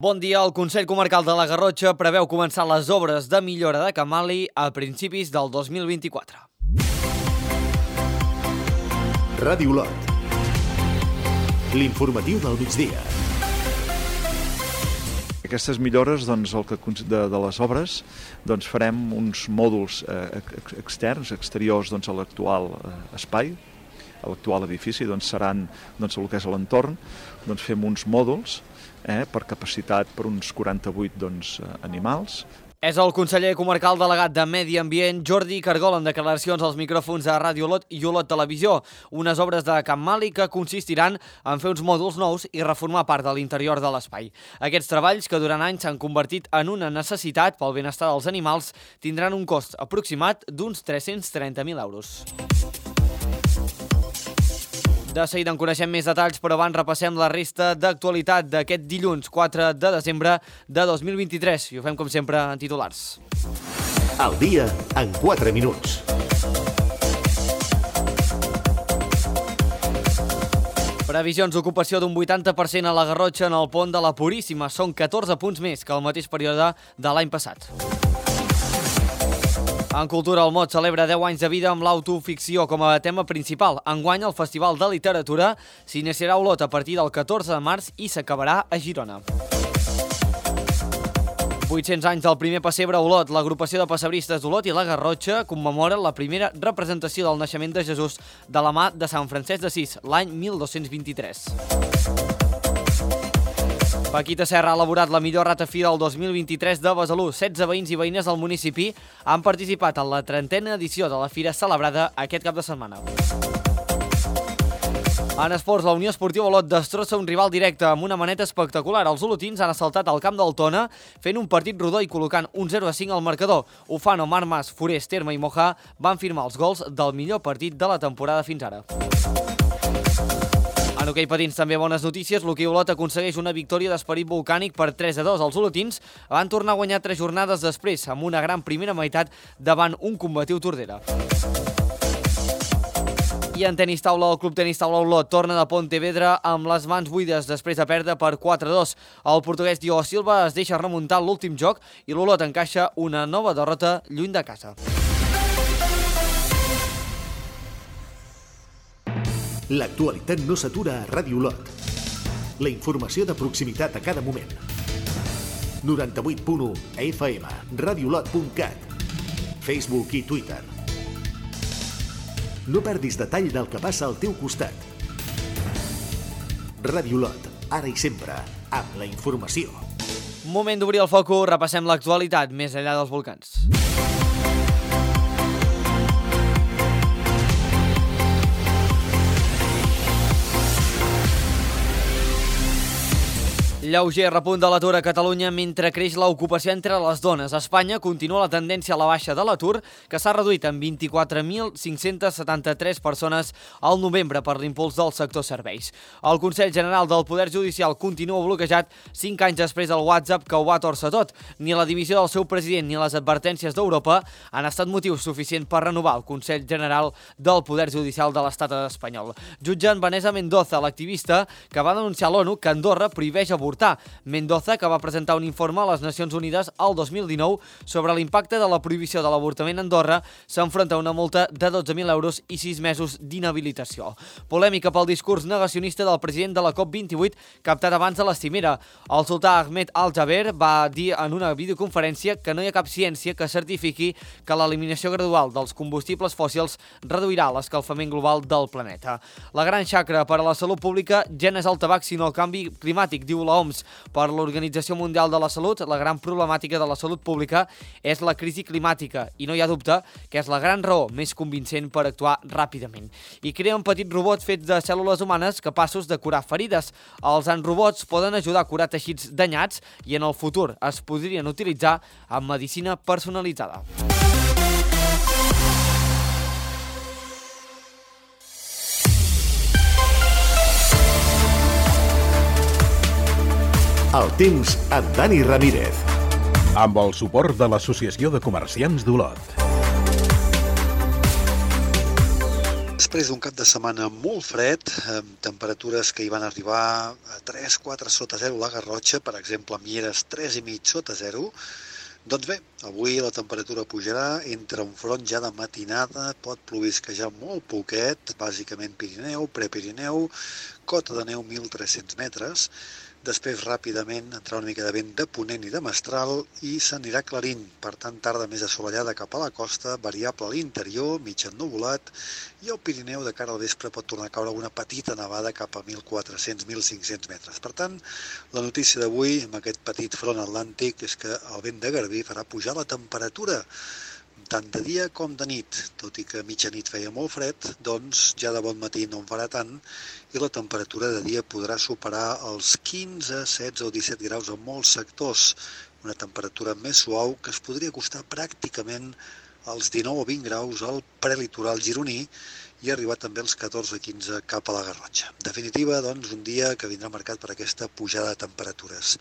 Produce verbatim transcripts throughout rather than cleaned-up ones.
Bon dia. El Consell Comarcal de la Garrotxa preveu començar les obres de millora de Camali a principis del dos mil vint-i-quatre. Ràdio Olot. L'informatiu del migdia. Aquestes millores, doncs, el que, de, de les obres, doncs, farem uns mòduls eh, externs, exteriors, doncs, a l'actual eh, espai, a l'actual edifici, doncs, seran doncs, el que és l'entorn, doncs, fem uns mòduls eh, per capacitat per uns quaranta-vuit doncs, animals. És el conseller comarcal delegat de Medi Ambient, Jordi Cargol, en declaracions als micròfons de Ràdio Olot i Olot Televisió. Unes obres de Camali que consistiran en fer uns mòduls nous i reformar part de l'interior de l'espai. Aquests treballs, que durant anys s'han convertit en una necessitat pel benestar dels animals, tindran un cost aproximat d'uns tres-cents trenta mil euros. De seguida en coneixem més detalls, però abans repassem la resta d'actualitat d'aquest dilluns quatre de desembre de dos mil vint-i-tres. I ho fem, com sempre, en titulars. Al dia, en quatre minuts. Previsions d'ocupació d'un vuitanta per cent a la Garrotxa en el pont de la Puríssima. Són catorze punts més que el mateix període de l'any passat. En cultura, el Mot celebra deu anys de vida amb l'autoficció com a tema principal. Enguany, el Festival de Literatura s'iniciarà a Olot a partir del catorze de març i s'acabarà a Girona. vuit-cents anys del primer pessebre a Olot. L'agrupació de pessebristes d'Olot i la Garrotxa commemora la primera representació del naixement de Jesús de la mà de Sant Francesc d'Assís, l'any mil dos-cents vint-i-tres. Paquita Serra ha elaborat la millor ratafí del dos mil vint-i-tres de Besalú. setze veïns i veïnes del municipi han participat en la trentena edició de la fira celebrada aquest cap de setmana. En esports, la Unió Esportiva Olot destrossa un rival directe amb una maneta espectacular. Els olotins han assaltat el camp del Tona fent un partit rodó i col·locant un zero a cinc al marcador. Ufano, Marmas, Forest, Terme i Moja van firmar els gols del millor partit de la temporada fins ara. En hoquei patins també bones notícies. L'Hoquei Olot aconsegueix una victòria d'esperit volcànic per tres a dos. Els olotins van tornar a guanyar tres jornades després, amb una gran primera meitat davant un combatiu Tordera. I en tenis taula, el Club Tenis Taula Olot torna de Pontevedra amb les mans buides després de perdre per quatre a dos. El portuguès Diogo Silva es deixa remuntar l'últim joc i l'Olot encaixa una nova derrota lluny de casa. L'actualitat no s'atura a Ràdio Olot. La informació de proximitat a cada moment. noranta-vuit punt u F M, radiolot punt cat, Facebook i Twitter. No perdis detall del que passa al teu costat. Ràdio Olot, ara i sempre, amb la informació. Moment d'obrir el focus, repassem l'actualitat més enllà dels volcans. Lleuger repunt de l'atur a Catalunya mentre creix l'ocupació entre les dones. A Espanya continua la tendència a la baixa de l'atur, que s'ha reduït en vint-i-quatre mil cinc-cents setanta-tres persones al novembre per l'impuls del sector serveis. El Consell General del Poder Judicial continua bloquejat cinc anys després del WhatsApp que ho va tòrcer tot. Ni la dimissió del seu president ni les advertències d'Europa han estat motiu suficient per renovar el Consell General del Poder Judicial de l'Estat espanyol. Jutgen Vanessa Mendoza, l'activista que va denunciar a l'ONU que Andorra prohibeix avortar. Mendoza, que va presentar un informe a les Nacions Unides el dos mil dinou sobre l'impacte de la prohibició de l'avortament a Andorra, s'enfronta a una multa de dotze mil euros i sis mesos d'inhabilitació. Polèmica pel discurs negacionista del president de la COP vint-i-vuit captat abans de la cimera. El sultà Ahmed Al-Jaber va dir en una videoconferència que no hi ha cap ciència que certifiqui que l'eliminació gradual dels combustibles fòssils reduirà l'escalfament global del planeta. La gran xacra per a la salut pública ja no és el tabac sinó el canvi climàtic, diu l'O M S. Per l'Organització Mundial de la Salut, la gran problemàtica de la salut pública és la crisi climàtica i no hi ha dubte que és la gran raó més convincent per actuar ràpidament. I creen petits robots fets de cèl·lules humanes capaços de curar ferides. Els robots poden ajudar a curar teixits danyats i en el futur es podrien utilitzar en medicina personalitzada. El temps amb Dani Ramírez. Amb el suport de l'Associació de Comerciants d'Olot. després d'un cap de setmana molt fred, amb temperatures que hi van arribar a tres quatre sota zero a la Garrotxa, per exemple a Mieres tres i mig sota zero, doncs bé, avui la temperatura pujarà, entre un front ja de matinada, pot plovisquejar molt poquet, bàsicament Pirineu, Prepirineu, cota de neu mil tres-cents metres, després ràpidament entrarà una mica de vent de ponent i de mestral i s'anirà aclarint, per tant tarda més assolellada cap a la costa, variable a l'interior, mig ennuvolat, i al Pirineu de cara al vespre pot tornar a caure una petita nevada cap a mil quatre-cents a mil cinc-cents metres. Per tant, la notícia d'avui amb aquest petit front atlàntic és que el vent de Garbí farà pujar la temperatura tant de dia com de nit, tot i que a mitjanit feia molt fred, doncs ja de bon matí no en farà tant i la temperatura de dia podrà superar els quinze, setze o disset graus en molts sectors, una temperatura més suau que es podria acostar pràcticament als dinou o vint graus al prelitoral gironí i arribar també als catorze o quinze cap a la Garrotxa. En definitiva, doncs, un dia que vindrà marcat per aquesta pujada de temperatures.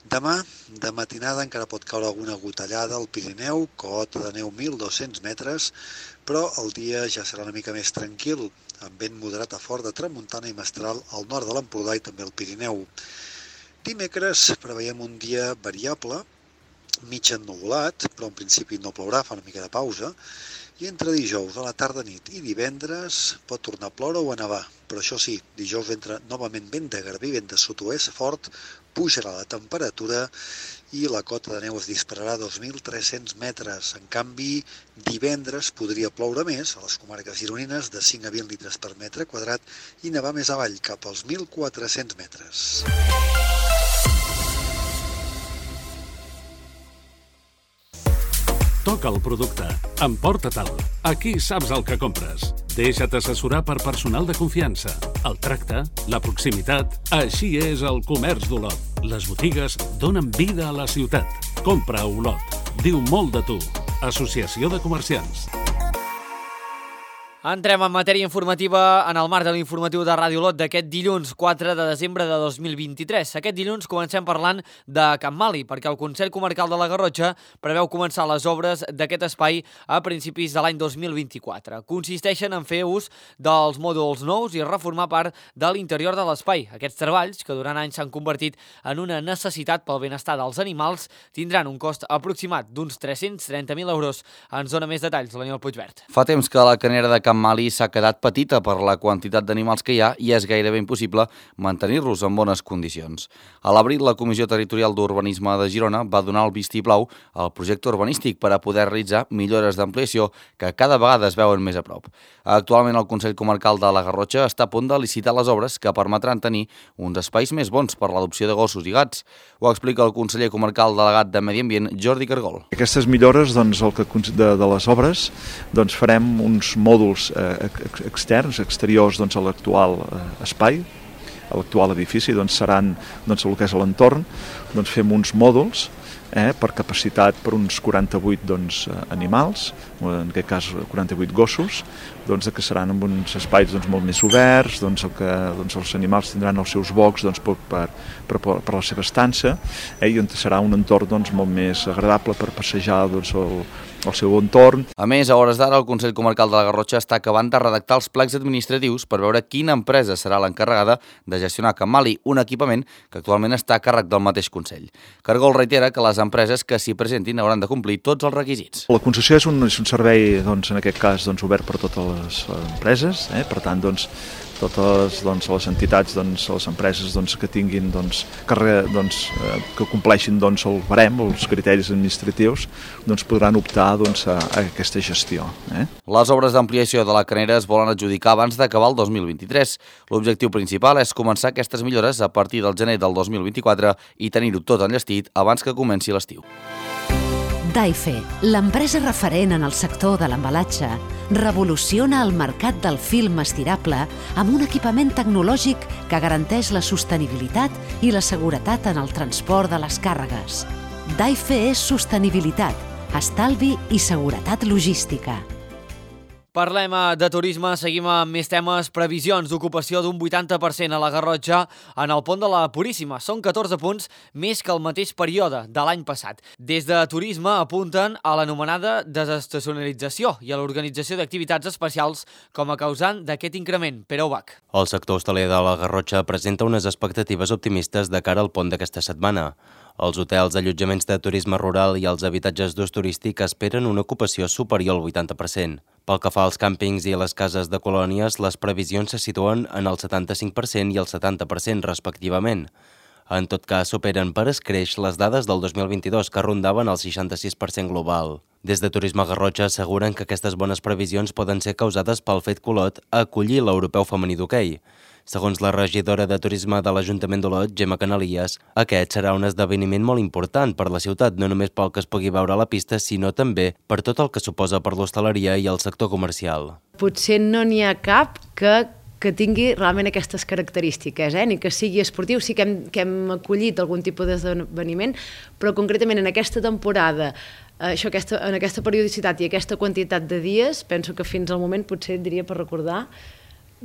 Demà, de matinada, encara pot caure alguna gotellada al Pirineu, cota de neu mil dos-cents metres, però el dia ja serà una mica més tranquil, amb vent moderat a fort de tramuntana i mestral al nord de l'Empordà i també al Pirineu. Dimecres preveiem un dia variable, mig ennuvolat, però en principi no plourà, fa una mica de pausa, i entre dijous a la tarda nit i divendres pot tornar a ploure o a nevar, però això sí, dijous entra novament vent de Garbí, vent de sud-oest fort, pujarà la temperatura i la cota de neu es dispararà a dos mil tres-cents metres. En canvi, divendres podria ploure més a les comarques gironines de cinc a vint litres per metre quadrat i nevar més avall, cap als mil quatre-cents metres. Toca el producte. Emporta-te'l. Aquí saps el que compres. Deixa't assessorar per personal de confiança. El tracte, la proximitat... Així és el comerç d'Olot. Les botigues donen vida a la ciutat. Compra a Olot. Diu molt de tu. Associació de Comerciants. Entrem en matèria informativa en el marc de l'informatiu de Ràdio Olot d'aquest dilluns quatre de desembre de dos mil vint-i-tres. Aquest dilluns comencem parlant de Can Mali, perquè el Consell Comarcal de la Garrotxa preveu començar les obres d'aquest espai a principis de l'any dos mil vint-i-quatre. Consisteixen en fer ús dels mòduls nous i reformar part de l'interior de l'espai. Aquests treballs, que durant anys s'han convertit en una necessitat pel benestar dels animals, tindran un cost aproximat d'uns tres-cents trenta mil euros. Ens dona més detalls l'Aniol Puigvert. Fa temps que la canera de Can Mali s'ha quedat petita per la quantitat d'animals que hi ha i és gairebé impossible mantenir-los en bones condicions. A l'abril, la Comissió Territorial d'Urbanisme de Girona va donar el vistiplau al projecte urbanístic per a poder realitzar millores d'ampliació que cada vegada es veuen més a prop. Actualment, el Consell Comarcal de la Garrotxa està a punt de licitar les obres que permetran tenir uns espais més bons per l'adopció de gossos i gats. Ho explica el conseller comarcal delegat de Medi Ambient, Jordi Cargol. Aquestes millores, doncs, el que de, de les obres, doncs farem uns mòduls eh, externs, exteriors, doncs, a l'actual eh, espai, a l'actual edifici, doncs seran, doncs, el que és l'entorn, doncs fem uns mòduls eh, per capacitat per uns quaranta-vuit doncs, animals, en aquest cas quaranta-vuit gossos, doncs, que seran en uns espais doncs, molt més oberts, doncs, el que, doncs, els animals tindran els seus bocs doncs, per, per, per, per la seva estança, eh, i on serà un entorn doncs, molt més agradable per passejar doncs, el, el seu entorn. A més, a hores d'ara, el Consell Comarcal de la Garrotxa està acabant de redactar els plecs administratius per veure quina empresa serà l'encarregada de gestionar Can Mali, un equipament que actualment està a càrrec del mateix Consell. Cargol reitera que les empreses que s'hi presentin hauran de complir tots els requisits. La concessió és un, és un servei, doncs, en aquest cas, doncs, obert per totes les empreses, eh? Per tant, doncs, totes doncs, les entitats, doncs, les empreses doncs, que tinguin, doncs, que, re, doncs, eh, que compleixin doncs, el barem, els criteris administratius, doncs, podran optar doncs, a, a aquesta gestió. Eh? Les obres d'ampliació de la canera es volen adjudicar abans d'acabar el dos mil vint-i-tres. L'objectiu principal és començar aquestes millores a partir del gener del dos mil vint-i-quatre i tenir-ho tot enllestit abans que comenci l'estiu. Daife, l'empresa referent en el sector de l'embalatge, revoluciona el mercat del film estirable amb un equipament tecnològic que garanteix la sostenibilitat i la seguretat en el transport de les càrregues. Daife és sostenibilitat, estalvi i seguretat logística. Parlem de turisme, seguim amb més temes. Previsions d'ocupació d'un vuitanta per cent a la Garrotxa en el pont de la Puríssima. Són catorze punts més que el mateix període de l'any passat. Des de turisme apunten a l'anomenada desestacionalització i a l'organització d'activitats especials com a causant d'aquest increment. Pere Ubach. El sector hostaler de la Garrotxa presenta unes expectatives optimistes de cara al pont d'aquesta setmana. Els hotels, allotjaments de turisme rural i els habitatges d'ús turístic esperen una ocupació superior al vuitanta per cent. Pel que fa als càmpings i a les cases de colònies, les previsions se situen en el setanta-cinc per cent i el setanta per cent respectivament. En tot cas, superen per escreix les dades del dos mil vint-i-dos, que rondaven el seixanta-sis per cent global. Des de Turisme Garrotxa asseguren que aquestes bones previsions poden ser causades pel fet que Olot a acollir l'Europeu Femení d'Hoquei. Segons la regidora de Turisme de l'Ajuntament d'Olot, Gemma Canalies, aquest serà un esdeveniment molt important per la ciutat, no només pel que es pugui veure a la pista, sinó també per tot el que suposa per l'hostaleria i el sector comercial. Potser no n'hi ha cap que que tingui realment aquestes característiques, eh? Ni que sigui esportiu, sí que hem, que hem acollit algun tipus d'esdeveniment, però concretament en aquesta temporada, això, aquesta, en aquesta periodicitat i aquesta quantitat de dies, penso que fins al moment potser diria per recordar,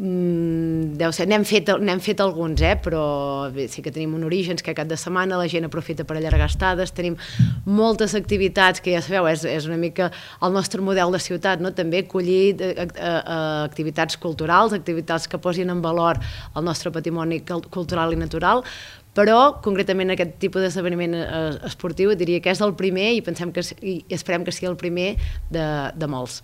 Mm, deu ser, n'hem fet, n'hem fet alguns, eh? Però bé, sí que tenim un Orígens que cap de setmana la gent aprofita per allargar estades, tenim moltes activitats que ja sabeu, és, és una mica el nostre model de ciutat, no? També acollir a, a, a activitats culturals, activitats que posin en valor el nostre patrimoni cultural i natural, però concretament aquest tipus d'esdeveniment esportiu diria que és el primer i pensem que i esperem que sigui el primer de, de molts.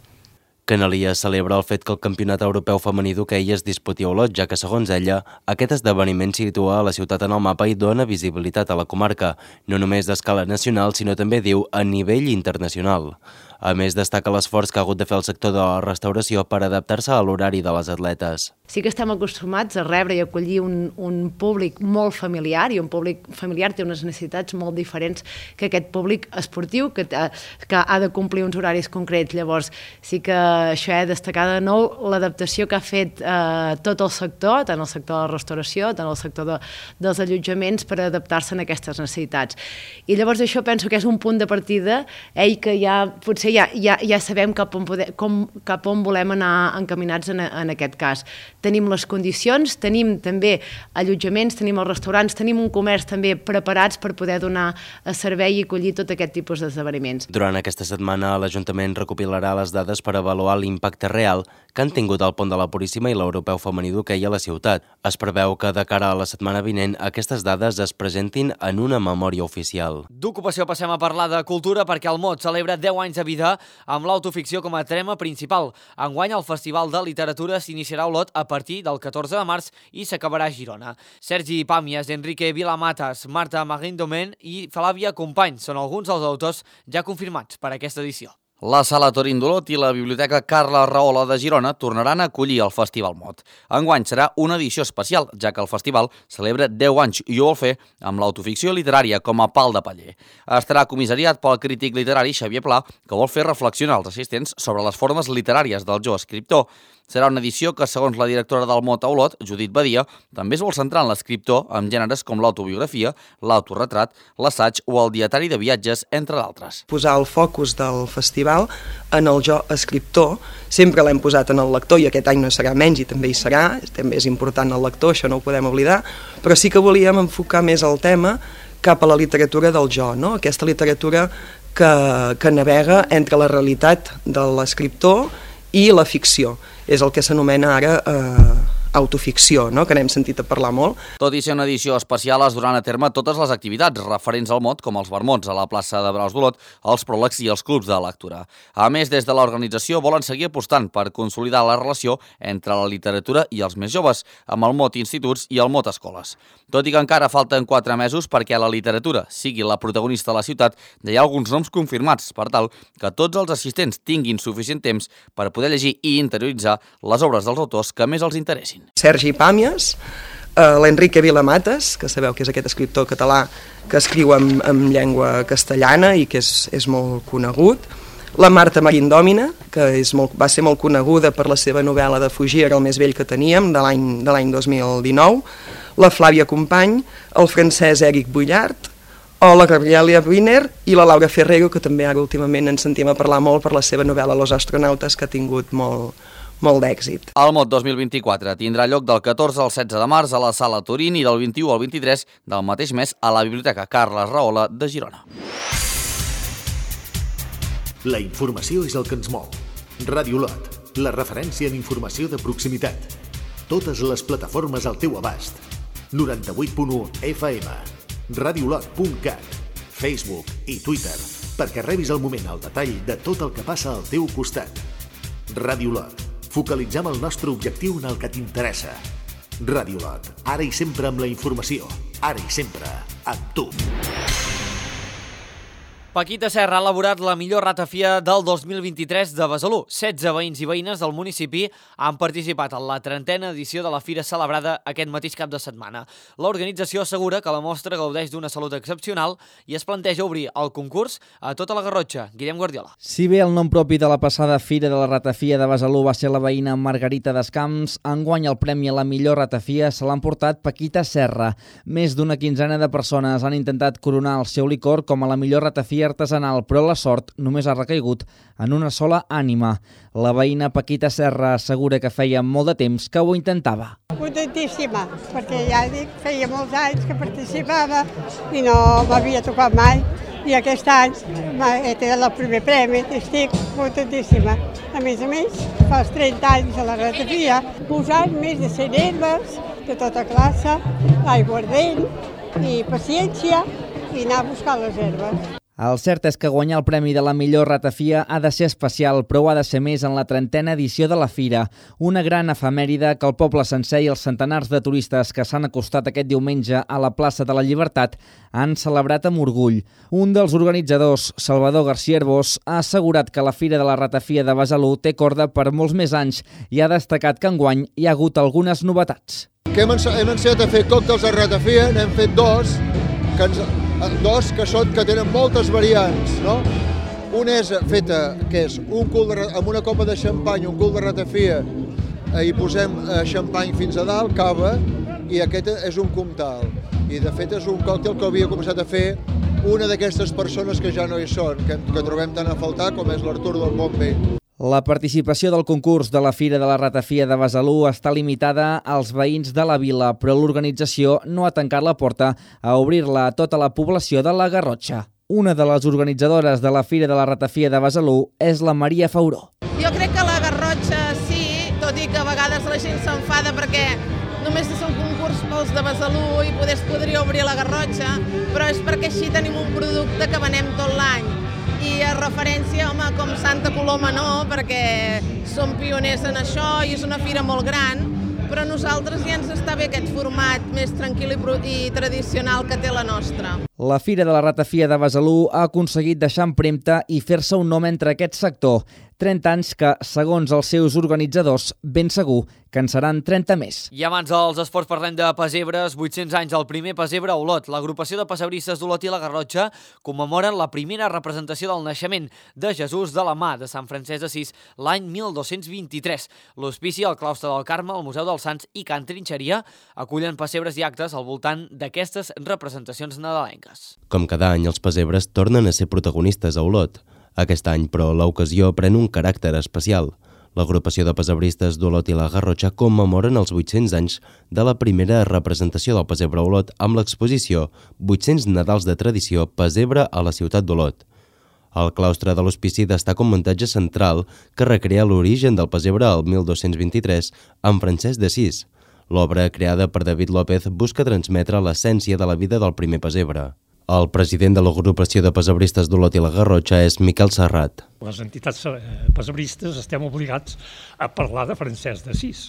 Canalies celebra el fet que el Campionat Europeu Femení d'Hoquei es disputi a Olot, ja que, segons ella, aquest esdeveniment situa la ciutat en el mapa i dona visibilitat a la comarca, no només d'escala nacional, sinó també, diu, a nivell internacional. A més, destaca l'esforç que ha hagut de fer el sector de la restauració per adaptar-se a l'horari de les atletes. Sí que estem acostumats a rebre i acollir un, un públic molt familiar, i un públic familiar té unes necessitats molt diferents que aquest públic esportiu, que, que ha de complir uns horaris concrets. Llavors, sí que això he de destacar de nou l'adaptació que ha fet eh, tot el sector, tant el sector de la restauració, tant el sector de, dels allotjaments, per adaptar-se a aquestes necessitats. I llavors això penso que és un punt de partida, eh, i que ja potser Ja, ja, ja sabem cap on, poder, com, cap on volem anar encaminats en, en aquest cas. Tenim les condicions, tenim també allotjaments, tenim els restaurants, tenim un comerç també preparats per poder donar servei i acollir tot aquest tipus d'esdeveniments. Durant aquesta setmana l'Ajuntament recopilarà les dades per avaluar l'impacte real que han tingut el pont de la Puríssima i l'Europeu Femení d'Hoquei a la ciutat. Es preveu que de cara a la setmana vinent aquestes dades es presentin en una memòria oficial. D'ocupació passem a parlar de cultura perquè el Mot celebra deu anys de vida amb l'autoficció com a tema principal. Enguany el Festival de Literatura s'iniciarà a Olot a partir del catorze de març i s'acabarà a Girona. Sergi Pàmies, Enrique Vilamatas, Marta Maguindomen i Flavia Company són alguns dels autors ja confirmats per aquesta edició. La Sala Torín d'Olot i la Biblioteca Carla Rahola de Girona tornaran a acollir el Festival Mot. Enguany serà una edició especial, ja que el festival celebra deu anys i ho vol fer amb l'autoficció literària com a pal de paller. Estarà comissariat pel crític literari Xavier Pla, que vol fer reflexionar els assistents sobre les formes literàries del jove escriptor. Serà una edició que, segons la directora del Mot a Olot, Judit Badia, també es vol centrar en l'escriptor amb gèneres com l'autobiografia, l'autorretrat, l'assaig o el dietari de viatges, entre d'altres. Posar el focus del festival en el jo escriptor, sempre l'hem posat en el lector i aquest any no serà menys i també hi serà, també és important el lector, això no ho podem oblidar, però sí que volíem enfocar més el tema cap a la literatura del jo, no? Aquesta literatura que, que navega entre la realitat de l'escriptor i la ficció. És el que s'anomena ara eh, autoficció, no? Que n'hem sentit a parlar molt. Tot i ser una edició especial, es duran a terme totes les activitats referents al Mot, com els vermuts a la plaça de Braus d'Olot, els pròlegs i els clubs de lectura. A més, des de l'organització volen seguir apostant per consolidar la relació entre la literatura i els més joves, amb el Mot Instituts i el Mot Escoles. Tot i que encara falten quatre mesos perquè la literatura sigui la protagonista de la ciutat, ja hi ha alguns noms confirmats, per tal que tots els assistents tinguin suficient temps per poder llegir i interioritzar les obres dels autors que més els interessin. Sergi Pàmies, eh, l'Enrique Vilamatas, que sabeu que és aquest escriptor català que escriu en, en llengua castellana i que és, és molt conegut, la Marta Maguindomen, que és molt, va ser molt coneguda per la seva novel·la de Fugir, el més vell que teníem, de l'any de l'any dos mil dinou, la Flàvia Company, el francès Éric Bullard, o la Gabriela Wiener i la Laura Ferrero, que també ara últimament ens sentim a parlar molt per la seva novel·la Los astronautes, que ha tingut molt, molt d'èxit. El Mot dos mil vint-i-quatre tindrà lloc del catorze al setze de març a la Sala Turín i del vint-i-u al vint-i-tres del mateix mes a la Biblioteca Carles Rahola de Girona. La informació és el que ens mou. Ràdio Lot, la referència en informació de proximitat. Totes les plataformes al teu abast. noranta-vuit punt u F M, radiolot punt cat, Facebook i Twitter, perquè rebis al moment el detall de tot el que passa al teu costat. Ràdio Lot, focalitzem el nostre objectiu en el que t'interessa. Ràdio Lot, ara i sempre amb la informació, ara i sempre amb tu. Paquita Serra ha elaborat la millor ratafia del dos mil vint-i-tres de Besalú. setze veïns i veïnes del municipi han participat en la trentena edició de la fira celebrada aquest mateix cap de setmana. L'organització assegura que la mostra gaudeix d'una salut excepcional i es planteja obrir el concurs a tota la Garrotxa. Guillem Guardiola. Si bé el nom propi de la passada fira de la ratafia de Besalú va ser la veïna Margarita Descamps, enguany el premi a la millor ratafia se l'han portat Paquita Serra. Més d'una quinzena de persones han intentat coronar el seu licor com a la millor ratafia artesanal, però la sort només ha recaigut en una sola ànima. La veïna Paquita Serra assegura que feia molt de temps que ho intentava. Contentíssima, perquè ja dic, feia molts anys que participava i no m'havia tocat mai. I aquest any he tingut el primer premi i estic contentíssima. A més a més, fa els trenta anys a la ratafia, posant més de cent herbes de tota classe, aiguardent i paciència i anar a buscar les herbes. El cert és que guanyar el premi de la millor ratafia ha de ser especial, però ha de ser més en la trentena edició de la fira. Una gran efemèride que el poble sencer i els centenars de turistes que s'han acostat aquest diumenge a la plaça de la Llibertat han celebrat amb orgull. Un dels organitzadors, Salvador García Herbós, ha assegurat que la fira de la ratafia de Besalú té corda per molts més anys i ha destacat que enguany hi ha hagut algunes novetats. Que hem, hem ensenyat a fer còctels de ratafia, n'hem fet dos, que ens... dos que són que tenen moltes variants, no? Una és feta, que és un cul de, amb una copa de xampany, un cul de ratafia, eh, i posem eh, xampany fins a dalt, cava, i aquest és un comtal. I de fet és un còctel que havia començat a fer una d'aquestes persones que ja no hi són, que, que trobem tant a faltar, com és l'Artur del Bonvell. La participació del concurs de la Fira de la Ratafia de Besalú està limitada als veïns de la vila, però l'organització no ha tancat la porta a obrir-la a tota la població de la Garrotxa. Una de les organitzadores de la Fira de la Ratafia de Besalú és la Maria Fauró. Jo crec que la Garrotxa sí, tot i que a vegades la gent s'enfada perquè només és un concurs pels de Besalú i poder es podria obrir a la Garrotxa, però és perquè així tenim un producte que venem tot l'any. I a referència, home, com Santa Coloma no, perquè som pioners en això i és una fira molt gran, però a nosaltres ja ens està bé aquest format més tranquil i tradicional que té la nostra. La Fira de la Ratafia de Besalú ha aconseguit deixar empremta i fer-se un nom entre aquest sector. trenta anys que, segons els seus organitzadors, ben segur que en seran trenta més. I abans dels esports parlem de pessebres. vuit-cents anys del primer pessebre a Olot. L'agrupació de pessebristes d'Olot i la Garrotxa commemoren la primera representació del naixement de Jesús de la mà de Sant Francesc d'Assís l'any mil dos-cents vint-i-tres. L'Hospici, el Claustre del Carme, el Museu dels Sants i Can Trinxeria acullen pessebres i actes al voltant d'aquestes representacions nadalenques. Com cada any, els pessebres tornen a ser protagonistes a Olot. Aquest any, però, l'ocasió pren un caràcter especial. L'agrupació de pessebristes d'Olot i la Garrotxa commemoren els vuit-cents anys de la primera representació del pessebre a Olot amb l'exposició vuit-cents Nadals de tradició pessebre a la ciutat d'Olot. El claustre de l'Hospici destaca un muntatge central que recrea l'origen del pessebre al mil dos-cents vint-i-tres amb Francesc d'Assís. L'obra, creada per David López, busca transmetre l'essència de la vida del primer pessebre. El president de l'agrupació de pessebristes d'Olot i la Garrotxa és Miquel Serrat. Les entitats pessebristes estem obligats a parlar de Francesc d'Assís.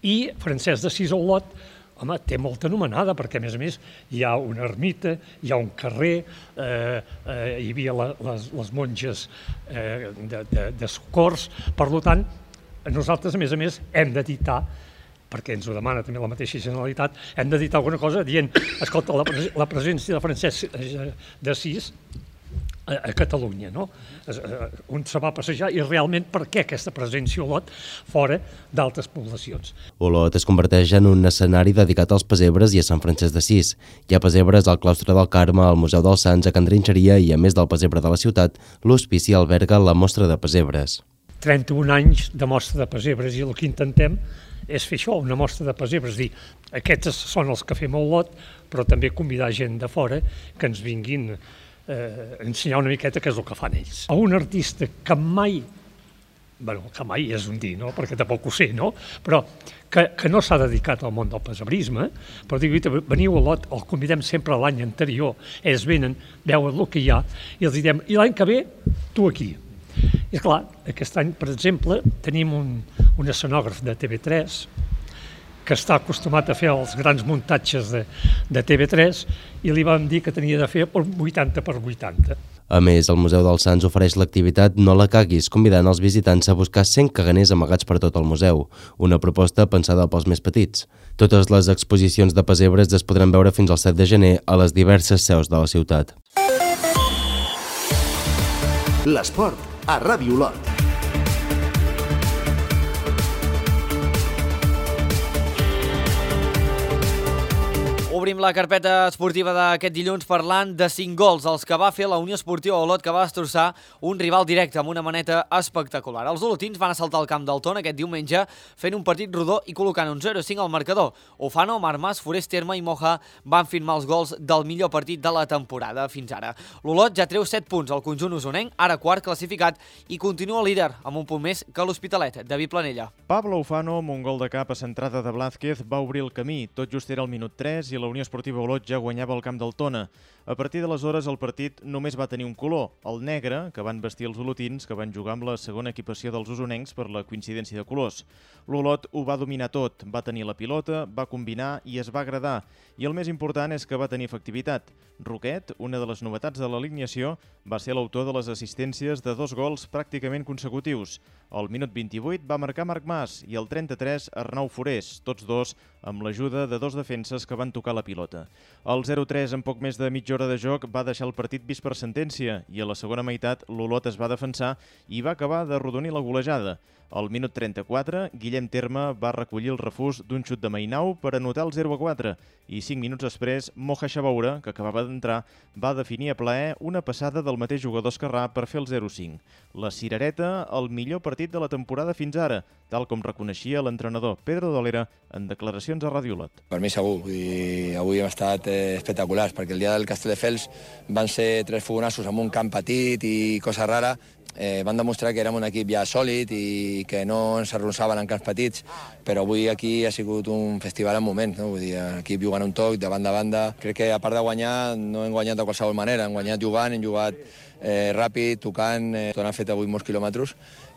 I Francesc d'Assís a Olot, home, té molta anomenada, perquè a més a més hi ha una ermita, hi ha un carrer, eh, eh, hi havia la, les, les monges eh, de, de, de socors. Per tant, nosaltres a més a més hem d'editar, perquè ens ho demana també la mateixa Generalitat, hem d'editar alguna cosa dient, escolta, la, pres la presència de Francesc d'Assís a Catalunya, no? On se va passejar i realment per què aquesta presència a Olot fora d'altres poblacions. Olot es converteix en un escenari dedicat als pessebres i a Sant Francesc d'Assís. Hi ha pessebres al claustre del Carme, al Museu dels Sants, a Can Trinxeria i, a més del pessebre de la ciutat, l'hospici alberga la mostra de pessebres. trenta-un anys de mostra de pessebres i el que intentem és fer això, una mostra de pessebres, dir, aquests són els que fem a Olot, però també convidar gent de fora que ens vinguin eh, ensenyar una miqueta què és el que fan ells. A un artista que mai, bueno, que mai és un dir, no? Perquè tampoc ho sé, no? Però que, que no s'ha dedicat al món del pessebrisme, però dic, veniu a Olot, el convidem sempre l'any anterior, ells venen, veuen el que hi ha, i els diem, i l'any que ve, tu aquí. I esclar, aquest any, per exemple, tenim un, un escenògraf de T V tres que està acostumat a fer els grans muntatges de, de T V tres i li vam dir que tenia de fer per vuitanta per vuitanta. A més, el Museu dels Sants ofereix l'activitat No la caguis, convidant els visitants a buscar cent caganers amagats per tot el museu, una proposta pensada pels més petits. Totes les exposicions de pessebres es podran veure fins al set de gener a les diverses seus de la ciutat. L'esport a Ràdio Olot. Obrim la carpeta esportiva d'aquest dilluns parlant de cinc gols, els que va fer la Unió Esportiva Olot, que va destrossar un rival directe amb una maneta espectacular. Els olotins van assaltar el camp del Tona aquest diumenge fent un partit rodó i col·locant un zero a cinc al marcador. Ofano, Marmas, Forest Terme i Moja van firmar els gols del millor partit de la temporada fins ara. L'Olot ja treu set punts al conjunt usonenc, ara quart classificat, i continua líder amb un punt més que l'Hospitalet. David Planella. Pablo Ofano, amb un gol de cap a centrada de Blázquez, va obrir el camí. Tot just era el minut tres i la Unió Esportiva Olot ja guanyava el camp del Tona. A partir d'aleshores el partit només va tenir un color, el negre, que van vestir els olotins, que van jugar amb la segona equipació dels usonencs per la coincidència de colors. L'Olot ho va dominar tot, va tenir la pilota, va combinar i es va agradar. I el més important és que va tenir efectivitat. Roquet, una de les novetats de l'alineació, va ser l'autor de les assistències de dos gols pràcticament consecutius. Al minut vint-i-vuit va marcar Marc Mas i al trenta-tres Arnau Forés, tots dos amb l'ajuda de dos defenses que van tocar la pilota. El zero tres en poc més de mitja hora de joc va deixar el partit vist per sentència i a la segona meitat l'Olot es va defensar i va acabar d'arrodonir la golejada. Al minut trenta-quatre, Guillem Terme va recollir el refús d'un xut de Mainau per anotar el zero a quatre i cinc minuts després, Moja Xabaura, que acabava d'entrar, va definir a plaer una passada del mateix jugador esquerrà per fer el zero a cinc. La cirereta, el millor partit de la temporada fins ara, tal com reconeixia l'entrenador Pedro Dolera en declaracions a Ràdio Olot. Per mi segur, i avui hem estat eh, espectaculars, perquè el dia del Castelldefels van ser tres fogonassos amb un camp petit i cosa rara. Eh, van demostrar que érem un equip ja sòlid i que no ens arronsaven en camps petits, però avui aquí ha sigut un festival en moments, no? Vull dir, l'equip jugant un toc de banda a banda. Crec que a part de guanyar no hem guanyat de qualsevol manera, hem guanyat jugant, hem jugat eh, ràpid, tocant, eh, tot han fet avui molts quilòmetres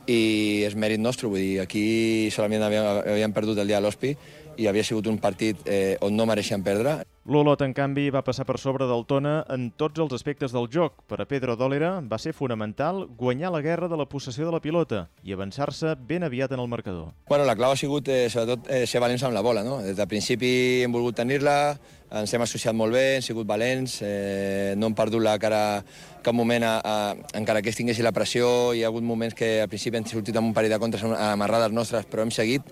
i és mèrit nostre, vull dir, aquí solament havíem, havíem perdut el dia de l'Hospi i havia sigut un partit eh, on no mereixien perdre. L'Olot, en canvi, va passar per sobre del Tona en tots els aspectes del joc. Per a Pedro Dolera va ser fonamental guanyar la guerra de la possessió de la pilota i avançar-se ben aviat en el marcador. Bueno, la clau ha sigut, eh, sobretot, eh, ser valents amb la bola, no? Des del principi hem volgut tenir-la, ens hem associat molt bé, hem sigut valents, eh, no hem perdut la cara cap moment, a, a, encara que es tinguessi la pressió. Hi ha hagut moments que al principi hem sortit amb un parell de contres amarrades nostres, però hem seguit.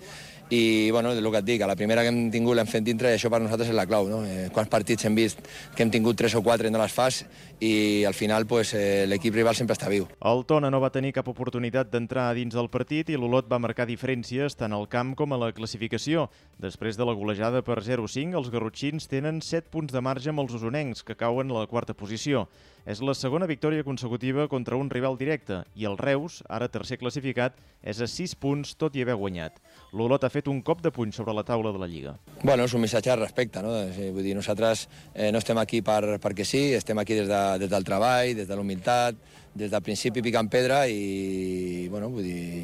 I, bueno, és el que et dic, a la primera que hem tingut l'hem fet dintre i això per nosaltres és la clau, no? Eh, quants partits hem vist que hem tingut tres o quatre i no les fas i al final pues, eh, l'equip rival sempre està viu. El Tona no va tenir cap oportunitat d'entrar dins del partit i l'Olot va marcar diferències tant al camp com a la classificació. Després de la golejada per zero a cinc, els garrotxins tenen set punts de marge amb els usonencs, que cauen a la quarta posició. És la segona victòria consecutiva contra un rival directe i el Reus, ara tercer classificat, és a sis punts tot i haver guanyat. L'Olot ha fet un cop de puny sobre la taula de la Lliga. Bueno, és un missatge de respecte, no? Vull dir, nosaltres eh, no estem aquí per, perquè sí, estem aquí des, de, des del treball, des de la humilitat, des del principi picant pedra i, bueno, vull dir,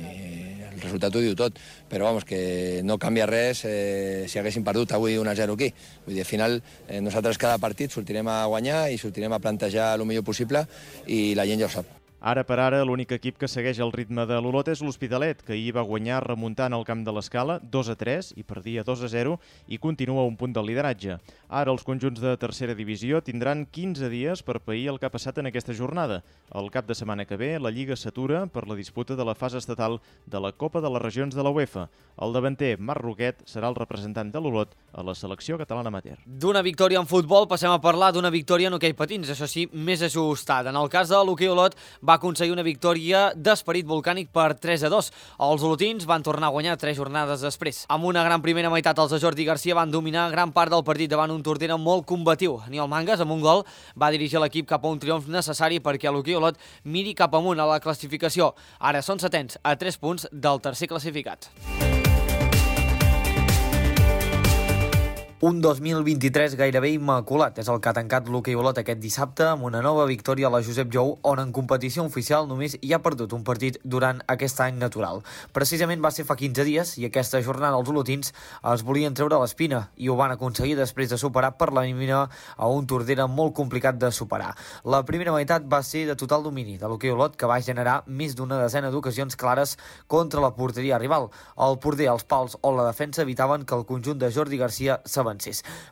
el resultat ho diu tot, però vamos, que no canvia res eh, si haguéssim perdut avui un a zero aquí. Vull dir, al final eh, nosaltres cada partit sortirem a guanyar i sortirem a plantejar el millor possible i la gent ja ho sap. Ara per ara, l'únic equip que segueix el ritme de l'Olot és l'Hospitalet, que ahir va guanyar remuntant al camp de l'Escala dos a tres i perdia dos a zero i continua a un punt del lideratge. Ara els conjunts de tercera divisió tindran quinze dies per pair el que ha passat en aquesta jornada. El cap de setmana que ve, la Lliga s'atura per la disputa de la fase estatal de la Copa de les Regions de la UEFA. El davanter Marc Roquet serà el representant de l'Olot a la selecció catalana amateur. D'una victòria en futbol passem a parlar d'una victòria en hoquei patins, això sí, més ajustada. En el cas de l'hoquei Olot va aconseguir una victòria d'esperit volcànic per tres a dos. Els olotins van tornar a guanyar tres jornades després. Amb una gran primera meitat, els de Jordi Garcia van dominar gran part del partit davant un Tordera molt combatiu. Aniol Mangas, amb un gol, va dirigir l'equip cap a un triomf necessari perquè l'hoquei Olot miri cap amunt a la classificació. Ara són setens a tres punts del tercer classificat. Un dos mil vint-i-tres gairebé immaculat és el que ha tancat l'hoquei Olot aquest dissabte amb una nova victòria a la Josep Jou, on en competició oficial només hi ha perdut un partit durant aquest any natural. Precisament va ser fa quinze dies i aquesta jornada els olotins es volien treure l'espina i ho van aconseguir després de superar per la mínima a un Tordera molt complicat de superar. La primera meitat va ser de total domini de l'hoquei Olot, que va generar més d'una desena d'ocasions clares contra la porteria rival. El porter, els pals o la defensa evitaven que el conjunt de Jordi Garcia s'avancés.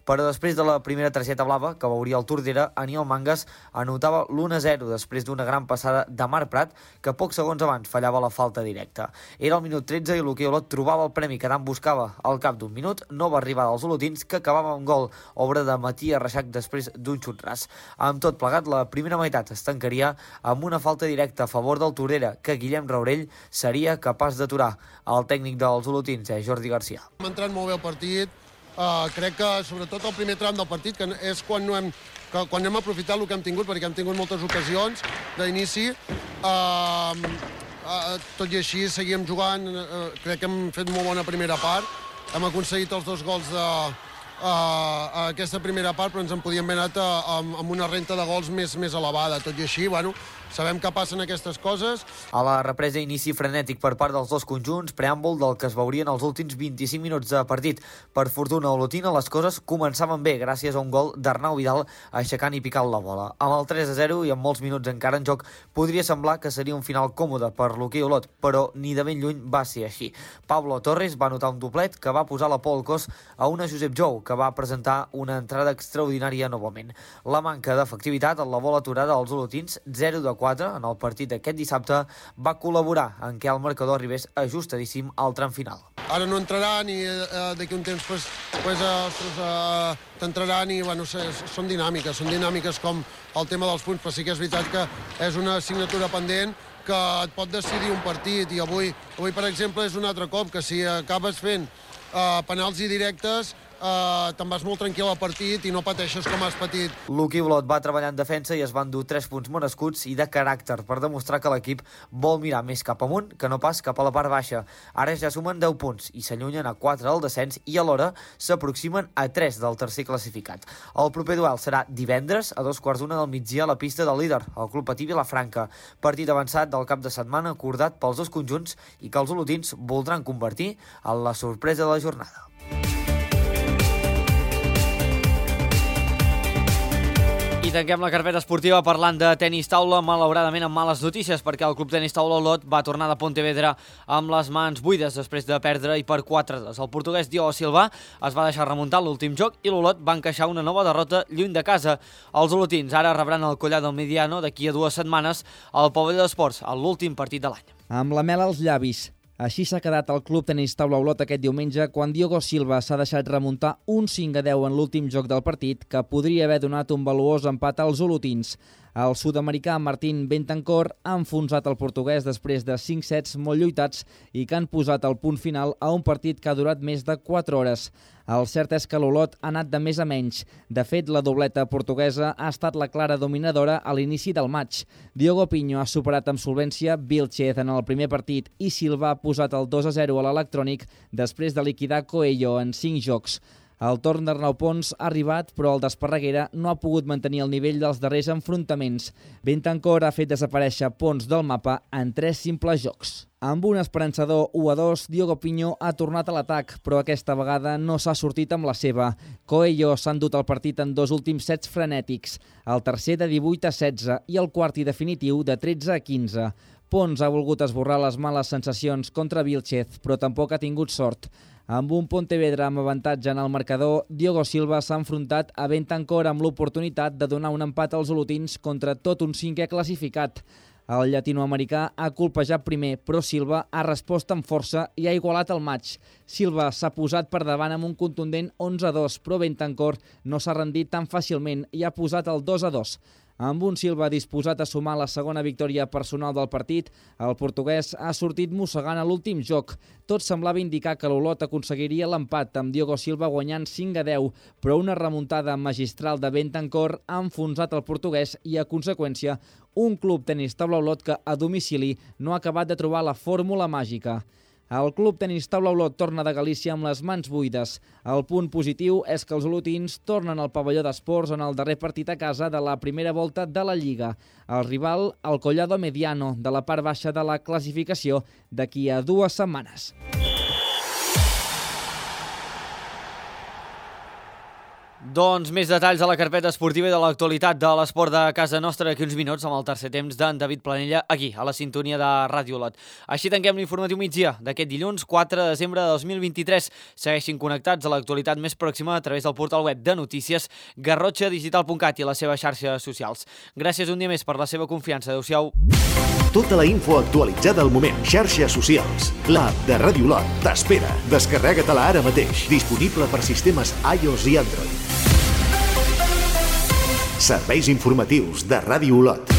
Però després de la primera targeta blava que veuria el Tordera, Aniol Mangas anotava l'u a zero després d'una gran passada de Marc Prat, que pocs segons abans fallava la falta directa. Era el minut tretze i l'hoquei Olot trobava el premi que tant buscava. Al cap d'un minut, nova arribada dels olotins, que acabava amb gol, obra de Matías Reixac després d'un xut ras. Amb tot plegat, la primera meitat es tancaria amb una falta directa a favor del Tordera, que Guillem Raurell seria capaç d'aturar. El tècnic dels olotins és Jordi Garcia. Hem entrat molt bé el partit. Uh, crec que sobretot el primer tram del partit, que és quan, no hem, que, quan hem aprofitat el que hem tingut, perquè hem tingut moltes ocasions d'inici. Uh, uh, tot i així seguíem jugant, uh, crec que hem fet molt bona primera part. Hem aconseguit els dos gols de, uh, a aquesta primera part, però ens en podíem haver anat uh, amb, amb una renta de gols més, més elevada. Tot i així, bueno, sabem que passen aquestes coses. A la represa, inici frenètic per part dels dos conjunts, preàmbul del que es veurien els últims vint-i-cinc minuts de partit. Per fortuna olotina, les coses començaven bé gràcies a un gol d'Arnau Vidal aixecant i picant la bola. Amb el tres a zero i amb molts minuts encara en joc, podria semblar que seria un final còmode per l'hoquei Olot, però ni de ben lluny va ser així. Pablo Torres va anotar un doblet que va posar la por al cos a una Josep Jou, que va presentar una entrada extraordinària novament. La manca d'efectivitat en la bola aturada als olotins, zero de quatre en el partit d'aquest dissabte, va col·laborar en què el marcador arribés ajustadíssim al tram final. Ara no entraran i eh, d'aquí un temps pues, pues, eh, eh, t'entraran i bueno, són dinàmiques, són dinàmiques com el tema dels punts, però sí que és veritat que és una assignatura pendent que et pot decidir un partit i avui, avui per exemple, és un altre cop que si acabes fent eh, penals i directes Uh, te'n vas molt tranquil al partit i no pateixes com has patit. L'hoquei Olot va treballar en defensa i es van dur tres punts merescuts i de caràcter per demostrar que l'equip vol mirar més cap amunt que no pas cap a la part baixa. Ara ja sumen deu punts i s'allunyen a quatre del descens i alhora s'aproximen a tres del tercer classificat. El proper duel serà divendres a dos quarts d'una del migdia a la pista del líder, el Club Patí Vilafranca. Partit avançat del cap de setmana acordat pels dos conjunts i que els olotins voldran convertir en la sorpresa de la jornada. I tanquem la carpeta esportiva parlant de tenis taula, malauradament amb males notícies, perquè el Club Tenis Taula Olot va tornar de Pontevedra amb les mans buides després de perdre i per quatre a dos. El portuguès Diogo Silva es va deixar remuntar l'últim joc i l'Olot va encaixar una nova derrota lluny de casa. Els olotins ara rebran el collar del Mediano d'aquí a dues setmanes al Pavelló d'Esports, a l'últim partit de l'any. Amb la mel als llavis. Així s'ha quedat el Club Tenis Taula Olot aquest diumenge quan Diogo Silva s'ha deixat remuntar un cinc a deu en l'últim joc del partit, que podria haver donat un valuós empat als olotins. El sud-americà Martín Bentancur ha enfonsat el portuguès després de cinc sets molt lluitats i que han posat el punt final a un partit que ha durat més de quatre hores. El cert és que l'Olot ha anat de més a menys. De fet, la dobleta portuguesa ha estat la clara dominadora a l'inici del maig. Diogo Pinho ha superat amb solvència Vilchez en el primer partit i Silva ha posat el dos a zero a l'electrònic després de liquidar Coelho en cinc jocs. El torn d'Arnau Pons ha arribat, però el d'Esparreguera no ha pogut mantenir el nivell dels darrers enfrontaments. Bentancor ha fet desaparèixer Pons del mapa en tres simples jocs. Amb un esperançador u a dos, Diogo Pinho ha tornat a l'atac, però aquesta vegada no s'ha sortit amb la seva. Coelho s'ha endut el partit en dos últims sets frenètics, el tercer de divuit a setze i el quart i definitiu de tretze a quinze. Pons ha volgut esborrar les males sensacions contra Vilchez, però tampoc ha tingut sort. Amb un Pontevedra amb avantatge en el marcador, Diogo Silva s'ha enfrontat a Bentancor amb l'oportunitat de donar un empat als olotins contra tot un cinquè classificat. El llatinoamericà ha colpejat primer, però Silva ha respost amb força i ha igualat el maig. Silva s'ha posat per davant amb un contundent onze a dos, però Bentancor no s'ha rendit tan fàcilment i ha posat el dos a dos. Amb un Silva disposat a sumar la segona victòria personal del partit, el portuguès ha sortit mossegant a l'últim joc. Tot semblava indicar que l'Olot aconseguiria l'empat, amb Diogo Silva guanyant cinc a deu, però una remuntada magistral de Bentancor ha enfonsat el portuguès i, a conseqüència, un club tenis taula Olot que, a domicili, no ha acabat de trobar la fórmula màgica. El Club Tenis Taula Olot torna de Galícia amb les mans buides. El punt positiu és que els olotins tornen al pavelló d'esports en el darrer partit a casa de la primera volta de la Lliga. El rival, el Collado Mediano, de la part baixa de la classificació, d'aquí a dues setmanes. Doncs més detalls a la carpeta esportiva i de l'actualitat de l'esport de casa nostra d'aquí uns minuts amb el tercer temps d'en David Planella aquí, a la sintonia de Ràdio Olot. Així tanquem l'informatiu migdia d'aquest dilluns quatre de desembre de dos mil vint-i-tres. Segueixin connectats a l'actualitat més pròxima a través del portal web de notícies garrotxa digital punt cat i les seves xarxes socials. Gràcies un dia més per la seva confiança. Adéu-siau. Tota la info actualitzada al moment. Xarxes socials. L'app de Ràdio Olot t'espera. Descarrega-te-la ara mateix. Disponible per sistemes iOS i Android. Serveis informatius de Ràdio Olot.